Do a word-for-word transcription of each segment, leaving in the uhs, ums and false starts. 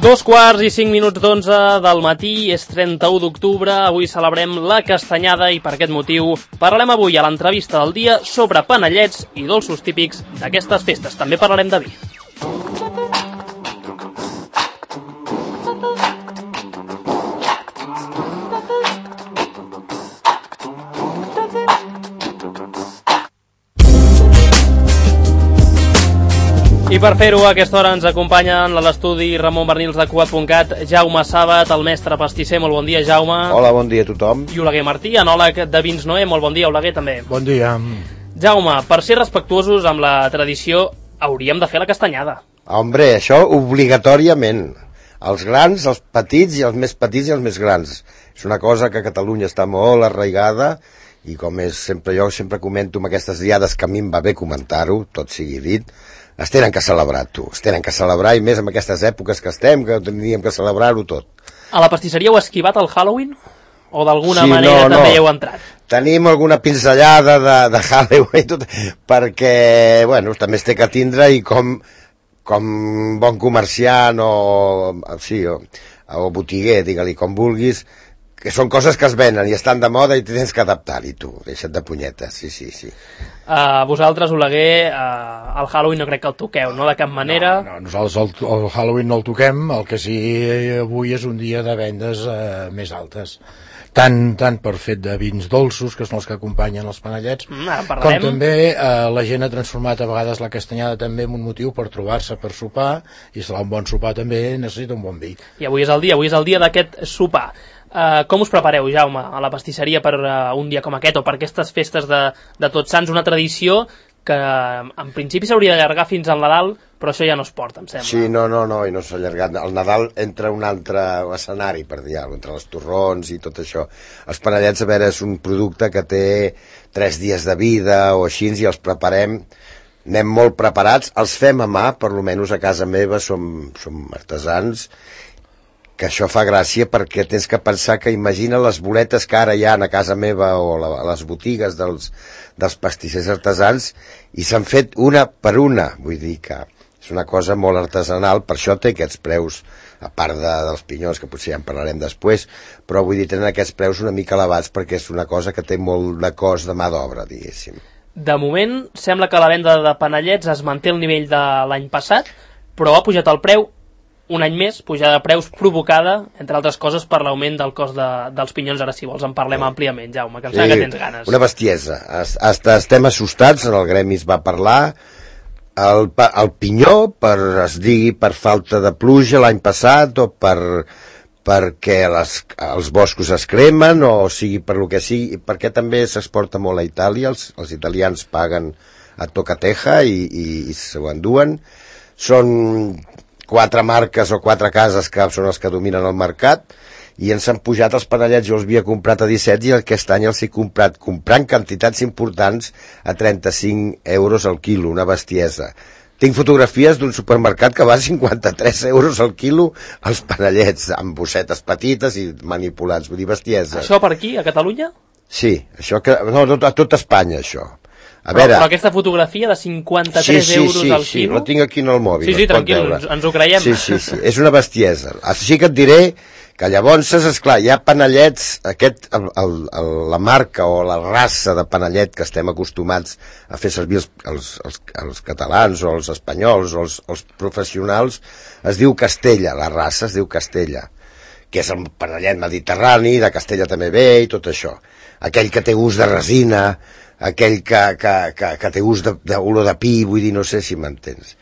Dos quarts i cinc minuts d'onze del matí, és trenta-u d'octubre, avui celebrem la Castanyada i per aquest motiu parlarem avui a l'entrevista del dia sobre panellets i dolços típics d'aquestes festes. També parlarem de vi. I per fer-ho, a aquesta hora ens acompanyen a l'estudi Ramon Bernils de Cugat punt cat, Jaume Sàbat, el mestre pastisser. Molt bon dia, Jaume. Hola, bon dia a tothom. I Oleguer Martí, enòleg de Vins Noé. Molt bon dia, Oleguer, també. Bon dia. Jaume, per ser respectuosos amb la tradició, hauríem de fer la castanyada. Hombre, això obligatòriament. Els grans, els petits i els més petits i els més grans. És una cosa que a Catalunya està molt arraigada i com és sempre jo sempre comento amb aquestes diades que a mi em va bé comentar-ho, tot sigui dit, es tenen que celebrar, tu. Es tenen que celebrar, i més en aquestes èpoques que estem, que tindríem que celebrar-ho tot. A la pastisseria heu esquivat el Halloween? O d'alguna sí, manera no, també no. heu entrat? Tenim alguna pinzellada de, de Halloween, tot, perquè, bueno, també es té que tindre i com, com bon comerciant o, sí, o, o botiguer, digue-li com vulguis, que són coses que es venen i estan de moda i tens que adaptar-hi, tu. Deixa't de punyetes, sí, sí, sí. Uh, vosaltres, Oleguer, uh, el Halloween no crec que el toqueu, no? De cap manera? No, no, nosaltres el, el Halloween no el toquem, el que sí avui és un dia de vendes uh, més altes. Tant, tant per fet de vins dolços, que són els que acompanyen els panellets, mm, com també uh, la gent ha transformat a vegades la castanyada també en un motiu per trobar-se per sopar, i serà un bon sopar també necessita un bon vi. I avui és el dia, avui és el dia d'aquest sopar. Uh, com us prepareu, Jaume, a la pastisseria per uh, un dia com aquest o per aquestes festes de, de Tots Sants, una tradició que en principi s'hauria d'allargar fins al Nadal, però això ja no es porta, em sembla. Sí, no, no, no, i no s'ha allargat. El Nadal entra un altre escenari, per dir-ho, entre els torrons i tot això. Els panellets, a veure, és un producte que té tres dies de vida o així, i els preparem, anem molt preparats, els fem a mà, per lo menys a casa meva som, som artesans, que això fa gràcia perquè tens que pensar que imagina les boletes que ara hi ha a casa meva o a les botigues dels, dels pastissers artesans i s'han fet una per una, vull dir que és una cosa molt artesanal, per això té aquests preus, a part de, dels pinyons, que potser ja en parlarem després, però vull dir, tenen aquests preus una mica elevats perquè és una cosa que té molt de cost de mà d'obra, diguéssim. De moment, sembla que la venda de panellets es manté al nivell de l'any passat, però ha pujat el preu un any més, pujada de preus provocada, entre altres coses, per l'augment del cost de, dels pinyons. Ara, si vols, en parlem sí. àmpliament, Jaume, que em sembla sí, que tens ganes. Una bestiesa. Hasta estem assustats, en el gremi es va parlar. El, el pinyó, per, es digui, per falta de pluja l'any passat, o per perquè les, els boscos es cremen, o sigui, per lo que sigui, perquè també s'exporta molt a Itàlia, els, els italians paguen a tocateja i, i, i s'ho enduen. Són quatre marques o quatre cases que són els que dominen el mercat i ens han pujat els panellets. Jo els havia comprat a disset i aquest any els he comprat comprant quantitats importants a trenta-cinc euros al quilo, una bestiesa. Tinc fotografies d'un supermercat que va a cinquanta-tres euros al quilo els panellets, amb bossetes petites i manipulats, vull dir, bestiesa. Això per aquí, a Catalunya? Sí, això que, no, a tot Espanya, això. A però, veure, però aquesta fotografia de cinquanta-tres sí, sí, euros sí, al sí, quilo... la tinc aquí en el mòbil. Sí, sí, tranquil, ens, ens ho creiem. Sí, sí, sí, és una bestiesa. Així que et diré que llavors, esclar, hi ha panellets, aquest, el, el, el, la marca o la raça de panellet que estem acostumats a fer servir els, els, els, els catalans o els espanyols o els, els professionals, es diu Castella, la raça es diu Castella, que és el panellet mediterrani, de Castella també ve i tot això. Aquell que té gust de resina, aquell que, que, que, que té gust d'olor de, de pi, vull dir, no sé si m'entens.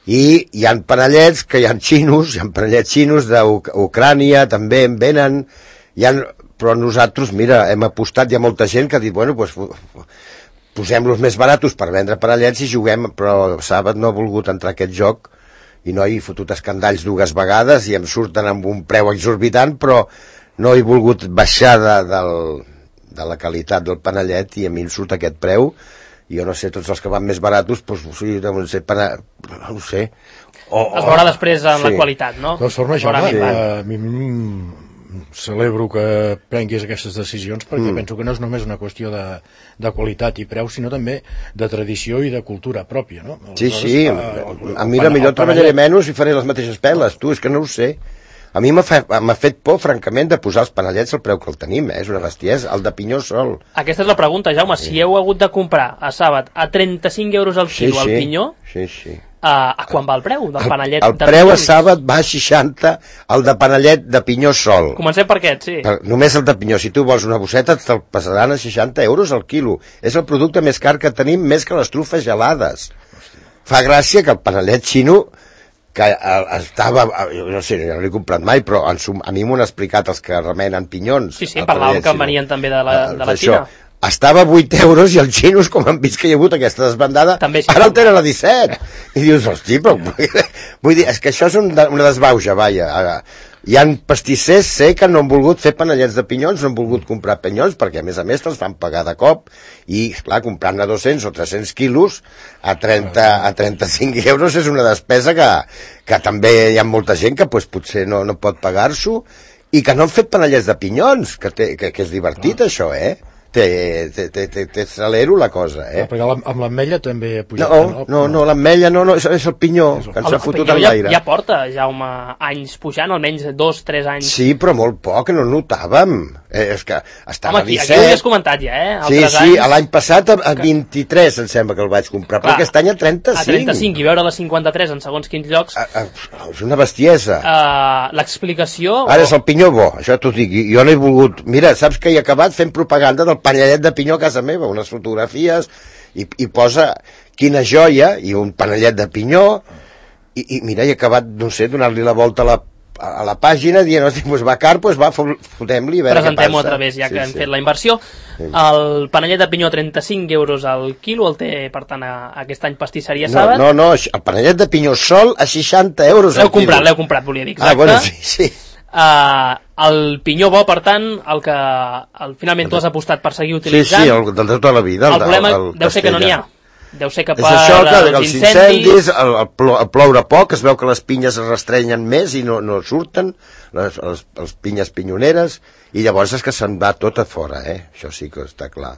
I hi ha panellets que hi ha xinos, hi ha panellets xinos d'Ucrània, també en venen, hi ha, però nosaltres, mira, hem apostat, hi ha molta gent que ha dit, bueno, pues, posem-los més baratos per vendre panellets i juguem, però Sàbat no ha volgut entrar a aquest joc i no he fotut escandalls dues vegades i em surten amb un preu exorbitant, però no he volgut baixar de, del... de la qualitat del panellet i a mi em surt aquest preu i jo no sé, tots els que van més baratos doncs, sí, no sé, pana... no sé o, es veurà després en sí. la qualitat, no? De forma, Jaume, sí. a mi celebro que prenguis aquestes decisions perquè Mm. penso que no és només una qüestió de, de qualitat i preu, sinó també de tradició i de cultura pròpia, no? Sí, Aleshores, sí, eh, a, el- a mi el- la millor el treballaré panellet- menys i faré les mateixes peles, tu, és que no ho sé. A mi m'ha fe, m'ha fet por, francament, de posar els panellets al preu que el tenim, eh? És una bestiesa, el de pinyó sol. Aquesta és la pregunta, Jaume. Si heu hagut de comprar a Sàbat a trenta-cinc euros al Sí, quilo sí, el pinyó, sí, sí. a, a quan va el preu del panellet El de preu a pinyons? Sàbat va a seixanta, el de panellet de pinyó sol. Comencem per aquest, sí. Per- Només el de pinyó, si tu vols una bosseta te'l passaran a seixanta euros al quilo. És el producte més car que tenim, més que les trufes gelades. Fa gràcia que el panellet xino, que eh, estava, eh, jo no sé, no l'he comprat mai, però en sum, a mi m'ho han explicat els que remenen pinyons. Sí, sí, el parlàvem panellet que xino. venien també de la, Eh, de la això. Xina. Estava a vuit euros i els xinos, com han vist que hi ha hagut aquesta desbandada, També sí. ara el tenen a disset. I dius, hosti, però... Vull dir, és que això és un, una desbauja, vaja. Ara, hi ha pastissers, sé que no han volgut fer panellets de pinyons, no han volgut comprar pinyons, perquè a més a més te'ls fan pagar de cop, i clar, comprant-ne dos-cents o tres-cents quilos a, trenta, a trenta-cinc euros és una despesa que, que també hi ha molta gent que pues, potser no, no pot pagar-s'ho, i que no han fet panellets de pinyons, que, té, que, que és divertit, ah. això, eh? Té, té, té, té, té celero la cosa, eh? Ah, perquè amb amb l'ametlla també ha pujat. No, no, no, l'ametlla no, no, és, és el pinyó, que ens El ha fotut pinyó en ja, l'aire. ja porta, Jaume, anys pujant, almenys dos, tres anys. Sí, però molt poc, no el notàvem. Eh, és que estava Home, aquí, a aquí ho havies disset. comentat ja, eh? Sí, Altres sí, anys, l'any passat a, a vint-i-tres em sembla que el vaig comprar, però Clar, aquest any a trenta-cinc. a trenta-cinc i veure la cinquanta-tres en segons quins llocs. A, a, és una bestiesa. Uh, L'explicació... Ara és el pinyó bo, això t'ho dic, i jo no he volgut... Mira, saps que he acabat fent propaganda del panellet de pinyó a casa meva, unes fotografies, i, i posa quina joia, i un panellet de pinyó, i, i mira, he acabat, no sé, donar-li la volta a la, a la pàgina, dient, hosti, pues va car, pues va, fotem-li, a veure què passa. Presentem-ho a través, ja que Sí, hem sí. fet la inversió. El panellet de pinyó trenta-cinc euros al quilo, el té, per tant, a, aquest any pastisseria No, Sàbat. no, no, el panellet de pinyó sol a seixanta euros al L'heu comprat, quilo. l'heu comprat, volia dir, exacte. Ah, bueno, sí, sí. Uh, el pinyó bo, per tant, el que el, finalment tu has apostat per seguir Sí, utilitzant. sí, el del de tota la vida. el de- problema el deu ser que no n'hi ha. Castella. Deu ser que És per això, que els els incendis... incendis, el, el, plo, el ploure poc, es veu que les pinyes es restrenyen més i no, no surten, les, les, les pinyes pinyoneres, i llavors és que se'n va tot a fora, eh? Això sí que està clar.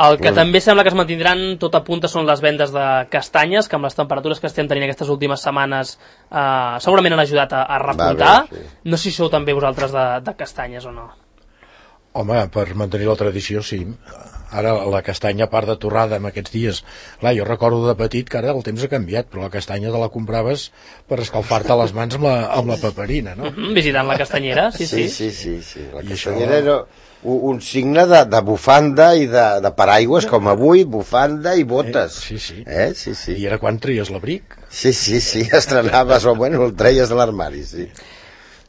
El que també sembla que es mantindran tot a punta són les vendes de castanyes, que amb les temperatures que estem tenint aquestes últimes setmanes eh, segurament han ajudat a, a repuntar. bé, sí. No sé si sou també vosaltres de, de castanyes o no. Home, per mantenir la tradició, sí. Ara la castanya, a part de torrada en aquests dies, clar, jo recordo de petit que ara el temps ha canviat, però la castanya te la compraves per escalfar-te les mans amb la, amb la paperina, no? Mm, visitant la castanyera, sí, sí. Sí, sí, sí, sí. La I castanyera això- era un, un signe de, de bufanda i de, de paraigües, com avui, bufanda i botes. Eh, sí, sí. Eh? Sí, sí. I era quan tries l'abric. Sí, sí, sí, estrenaves, o bueno, el treies de l'armari, sí.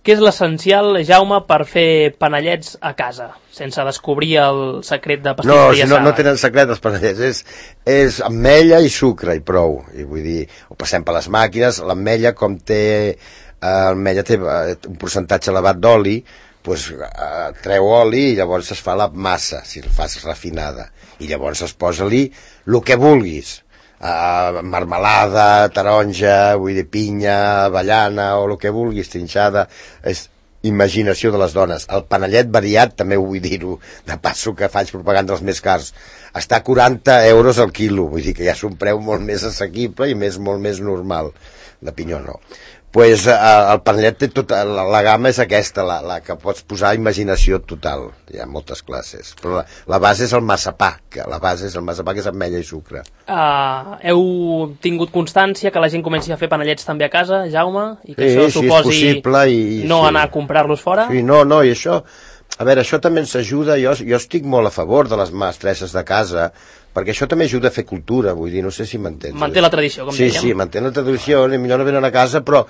Què és l'essencial, Jaume, per fer panellets a casa, sense descobrir el secret de No, pastisseria si no, no Sàbat? tenen secret els panellets, és, és ametlla i sucre i prou. I vull dir, ho passem per les màquines, l'ametlla com té, eh, l'ametlla té eh, un percentatge elevat d'oli, doncs eh, treu oli i llavors es fa la massa, si el fas refinada. I llavors es posa-li el que vulguis. Uh, marmelada, taronja, vull dir, pinya, avellana, o el que vulguis, trinxada, és imaginació de les dones. El panellet variat, també vull dir-ho, de passo que faig propaganda dels més cars, està a quaranta euros al quilo, vull dir que ja és un preu molt més assequible i més, molt més normal, de pinyó no. Pues, uh, el panellet té tota, la, la gamma és aquesta, la, la que pots posar imaginació total, hi ha moltes classes, però la, la base és el massapà, que la base és el massapà que és ametlla i sucre. Uh, heu tingut constància que la gent comenci a fer panellets també a casa, Jaume? I que Sí, això sí, és suposi possible i- no sí. anar a comprar-los fora? Sí, no, no, i això, a veure, això també ens ajuda, jo, jo estic molt a favor de les mestresses de casa, perquè això també ajuda a fer cultura, vull dir, no sé si m'entens. Manté la tradició, com sí, dèiem. Sí, sí, manté la tradició, ni millor no venen a casa, però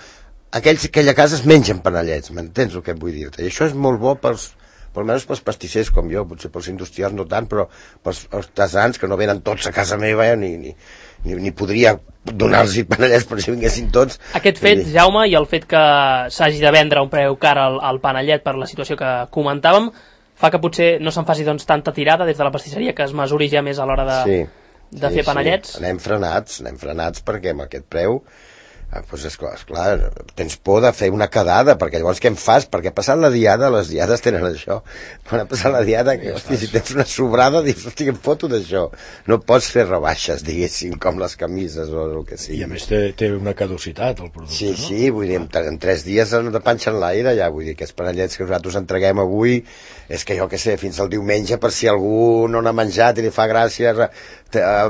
aquells, aquella casa es mengen panellets, m'entens el que vull dir-te? I això és molt bo pels, per almenys pels pastissers com jo, potser pels industrials no tant, però pels artesans que no venen tots a casa meva, eh, ni, ni, ni, ni podria donar-los panellets per si vinguessin tots. Aquest fet, Jaume, i el fet que s'hagi de vendre a un preu car al, al panellet per la situació que comentàvem, fa que potser no se'n faci doncs, tanta tirada des de la pastisseria, que es mesuri ja més a l'hora de, Sí, de sí, fer panellets. Sí. Anem frenats, anem frenats perquè amb aquest preu Ah, doncs esclar, esclar, tens por de fer una quedada, perquè llavors què en fas? Perquè ha passat la diada, les diades tenen això. Quan ha passat la diada, que, hosti, si tens una sobrada, dius, hosti, em foto d'això. No pots fer rebaixes, diguéssim, com les camises o el que sigui. I a més té, té una caducitat, el producte, sí, no? Sí, vull dir, en, en tres dies de panxa en l'aire, ja, vull dir, aquests panellets que nosaltres entreguem avui, és que jo què sé, fins al diumenge, per si algú no n'ha menjat i li fa gràcia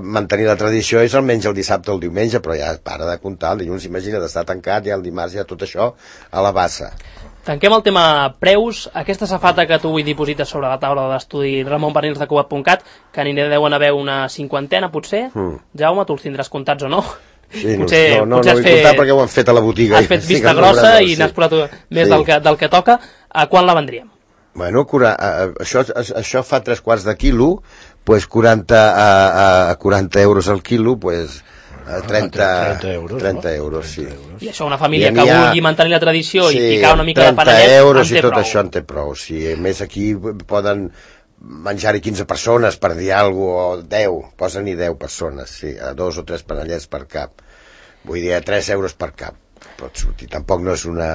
mantenir la tradició, i se'l menja el dissabte o el diumenge, però ja para de comptar, el dilluns, imagina, d'estar tancat, ja el dimarts, ja tot això a la bassa. Tanquem el tema preus. Aquesta safata que tu avui diposites sobre la taula d'estudi Ramon Pernils de Cugat punt cat, que n'hi deuen haver una cinquantena, potser. Mm. Jaume, tu els tindràs comptats o no? Sí, potser, no, no, potser no, no vull comptar perquè ho han fet a la botiga. Has fet vista grossa i n'has posat més sí. del, que, del que toca. A quan la vendríem? Bueno, cura, a, això, a, això fa tres quarts de quilo, pues quaranta, a, a quaranta euros al quilo, pues a trenta, trenta euros, trenta no? euros, sí. I això una família que ha... vulgui mantenir la tradició sí, i ficar una mica de panellet, trenta euros en té i tot prou. això en té prou, sí. A més aquí poden menjar-hi quinze persones, per dir alguna cosa, o deu, posen-hi deu persones, sí, a dos o tres panellets per cap. Vull dir, a tres euros per cap pot sortir, tampoc no és una...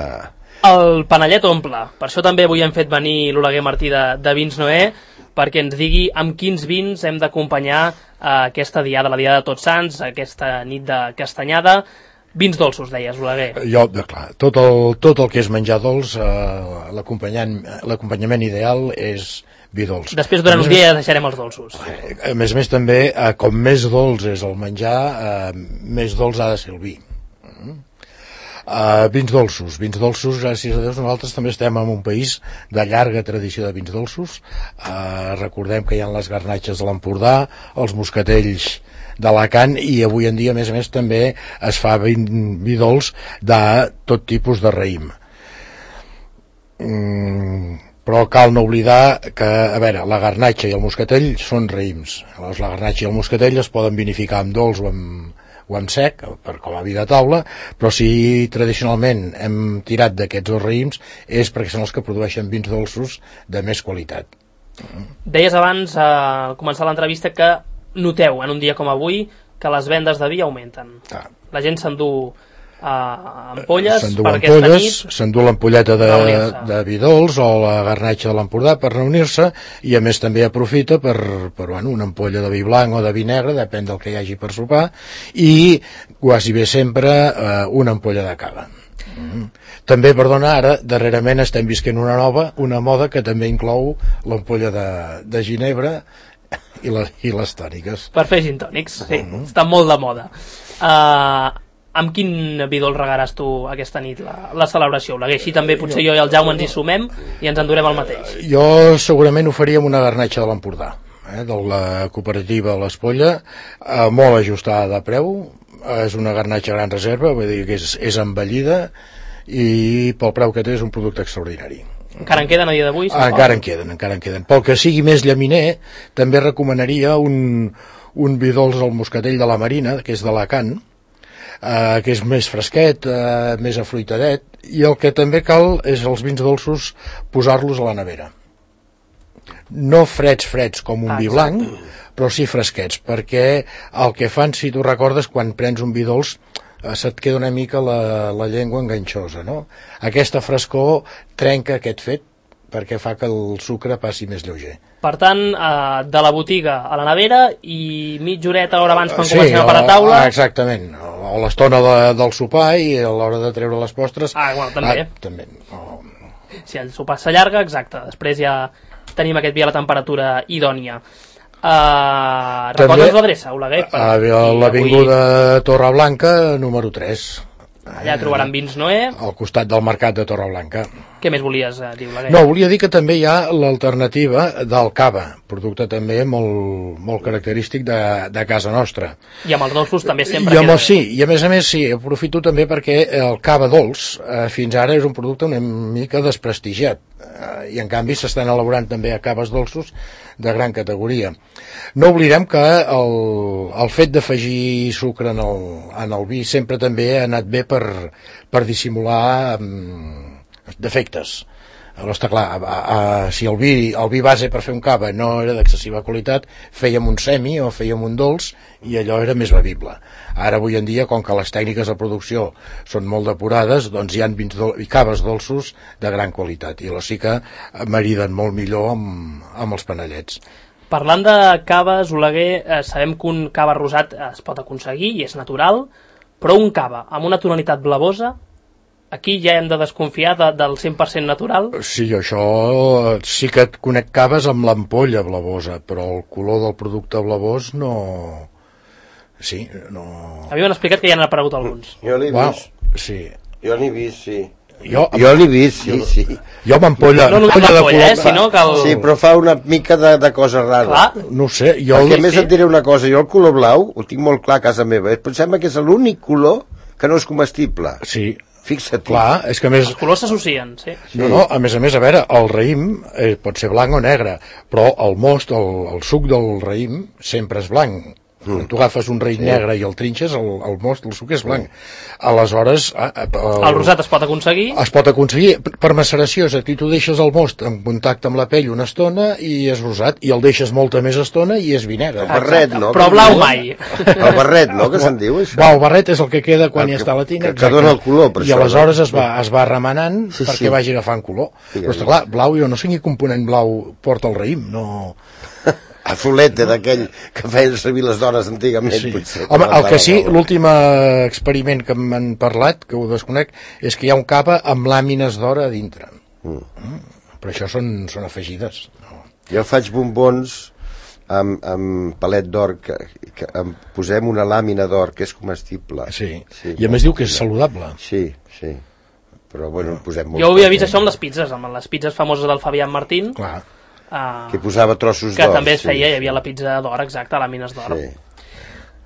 El panellet omple, per això també avui hem fet venir l'Oleguer Martí de, de Vins Noé, perquè ens digui amb quins vins hem d'acompanyar eh, aquesta diada, la diada de Tots Sants, aquesta nit de castanyada. Vins dolços, deies, Oleguer. Jo, clar, tot el, tot el que és menjar dolç, eh, l'acompanyament ideal és vi dolç. Després durant un dia ja deixarem els dolços. A més a més també, eh, com més dolç és el menjar, eh, més dolç ha de ser el vi. Uh, vins dolços, vins dolços, gràcies a Déu, nosaltres també estem en un país de llarga tradició de vins dolços. Uh, recordem que hi ha les garnatxes de l'Empordà, els moscatells d'Alacant, i avui en dia, a més a més, també es fa vi, vi dolç de tot tipus de raïm. Mm, però cal no oblidar que, a veure, la garnatxa i el moscatell són raïms. Llavors, la garnatxa i el moscatell es poden vinificar amb dolç o amb o amb sec, per com a vi de taula, però si tradicionalment hem tirat d'aquests dos raïms és perquè són els que produeixen vins dolços de més qualitat. Deies abans, eh, al començar l'entrevista, que noteu en un dia com avui que les vendes de vi augmenten. Ah. La gent s'endú uh, ampolles per aquesta nit, s'endú l'ampolleta de, de vi dolç o la garnatxa de l'Empordà per reunir-se, i a més també aprofita per, per bueno, una ampolla de vi blanc o de vi negre, depèn del que hi hagi per sopar, i quasi bé sempre uh, una ampolla de cava. Mm. També, perdona, ara darrerament estem visquent una nova, una moda que també inclou l'ampolla de, de ginebra i, la, i les tòniques. Per fer gin tònics, sí, mm. està molt de moda. Uh, amb quin vi dolç regaràs tu aquesta nit la, la celebració? Així també potser jo i el Jaume ens hi sumem i ens endurem el mateix. Jo segurament ho faria amb una garnatxa de l'Empordà, eh, de la cooperativa l'Espolla, eh, molt ajustada de preu, és una garnatxa gran reserva, vull dir que és, és envellida, i pel preu que té és un producte extraordinari. Encara en queden a dia d'avui? Ah, encara en queden, encara en queden. Pel que sigui més llaminer, també recomanaria un, un vi dolç al moscatell de la Marina, que és d'Alacant, eh, que és més fresquet, eh, més afruitadet, i el que també cal és els vins dolços posar-los a la nevera. No freds, freds, com un ah, vi blanc, però sí fresquets, perquè el que fan, si tu recordes, quan prens un vi dolç, se't queda una mica la, la llengua enganxosa, no? Aquesta frescor trenca aquest fet perquè fa que el sucre passi més lleuger. Per tant, eh, de la botiga a la nevera i mitja horeta, hora abans quan sí, comencem a parar taula... Exactament, o l'estona de, del sopar i a l'hora de treure les postres... Ah, bueno, també. Ah, també. Oh. Si el sopar s'allarga, exacte, després ja tenim aquest vi a la temperatura idònia. Uh, recordes l'adreça, Oleguer? A l'avinguda Torreblanca número tres, allà trobaran Vins Noé al costat del mercat de Torreblanca. Què més volies dir, Oleguer? No, volia dir que també hi ha l'alternativa del cava, producte també molt, molt característic de, de casa nostra, i amb els dolços també sempre I, amb, sí, i a més a més sí, aprofito també perquè el cava dolç eh, fins ara és un producte una mica desprestigiat, eh, i en canvi s'estan elaborant també a caves dolços de gran categoria. No oblidem que el, el fet d'afegir sucre en el, en el vi sempre també ha anat bé per, per dissimular um, defectes. Però està clar, a, a, si el vi, el vi base per fer un cava no era d'excessiva qualitat, fèiem un semi o fèiem un dolç i allò era més bevible. Ara avui en dia, com que les tècniques de producció són molt depurades, doncs hi ha vins dol i caves dolços de gran qualitat i els sí que mariden molt millor amb, amb els panellets. Parlant de caves, Oleguer, eh, sabem que un cava rosat es pot aconseguir i és natural, però un cava amb una tonalitat blavosa, aquí ja hem de desconfiar de, del cent per cent natural. Sí, això sí que et conec caves amb l'ampolla blavosa, però el color del producte blavós no... Sí, no... A mi m'han explicat que ja n'han aparegut alguns. Jo l'he Wow, vist. sí. Jo l'he vist, sí. Jo, Jo l'he vist, sí, sí. jo amb ampolla... No només ampolla de l'ampolla, color- eh, sinó que el... Sí, però fa una mica de, de cosa rara. Clar, No ho sé, jo... Perquè a el- més et diré una cosa, jo el color blau ho tinc molt clar a casa meva, però em sembla que és l'únic color que no és comestible. Sí, Fixa't. clar, és que a més... els colors s'associen, sí. No, no, a més a més, a veure, el raïm eh, pot ser blanc o negre, però el most, el, el suc del raïm sempre és blanc. Mm. Tu agafes un raïm sí. negre i el trinxes, el, el most, el suc és blanc. Aleshores... Ah, el, El rosat es pot aconseguir. es pot aconseguir per maceració, és a dir, tu deixes el most en contacte amb la pell una estona i és rosat, i el deixes molta més estona i és vi negre. El barret, no? Però Que blau diu? mai. El barret, no?, que se'n diu, això. Va, el barret és el que queda quan El ja que- està a la tina. que- que dona el color, per I això, aleshores no? es va, es va remenant Sí, perquè sí. vagi agafant color. Sí, Però està clar, blau, jo no sé quin component blau porta el raïm, no... A fulete d'aquell que feien servir les dones antigament, Sí. potser. Home, el que sí, L'últim... l'últim experiment que m'han parlat, que ho desconec, és que hi ha un cava amb làmines d'or a dintre. Mm. Mm. Però això són, són afegides. No. Jo faig bombons amb, amb palet d'or, que, que em posem una làmina d'or que és comestible. Sí. Sí, I a més diu que és saludable. Sí, sí. Però bueno, en posem molt. Jo ho havia vist això amb les pizzas, amb les pizzas famoses del Fabián Martín, Clar. uh, Que posava trossos que d'or. també es sí, feia, hi sí. havia la pizza d'or, exacte, làmines d'or. Sí.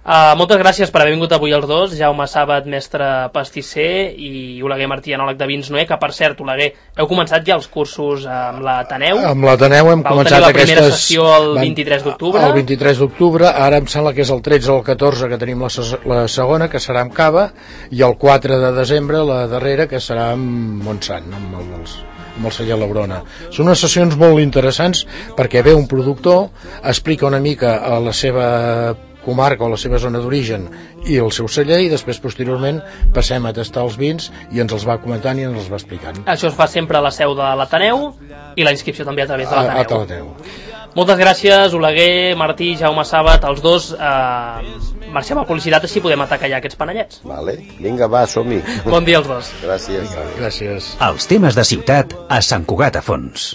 Uh, moltes gràcies per haver vingut avui els dos, Jaume Sàbat, mestre pastisser, i Oleguer Martí, enòleg de vins Noé, que per cert, Oleguer, heu començat ja els cursos amb l'Ateneu? Amb l'Ateneu hem Vau començat tenir la primera aquestes... sessió el van- vint-i-tres d'octubre? El vint-i-tres d'octubre, ara em sembla que és el tretze o el catorze que tenim la, ses- la segona, que serà amb Cava, i el quatre de desembre la darrera, que serà amb Montsant, amb el, els, amb el celler Labrona. Són unes sessions molt interessants perquè ve un productor, explica una mica a la seva comarca o la seva zona d'origen i el seu celler, i després posteriorment passem a tastar els vins i ens els va comentant i ens els va explicant. Això es fa sempre a la seu de l'Ateneu i la inscripció també a través de A, a l'Ateneu. l'Ateneu. Moltes gràcies, Oleguer, Martí, Jaume Sàbat, els dos. Eh, marxem a publicitat, així podem atacar ja aquests panellets. Vale. Vinga, va, som-hi. Bon dia als dos. Gràcies. Gràcies. Els temes de ciutat a Sant Cugat a Fons.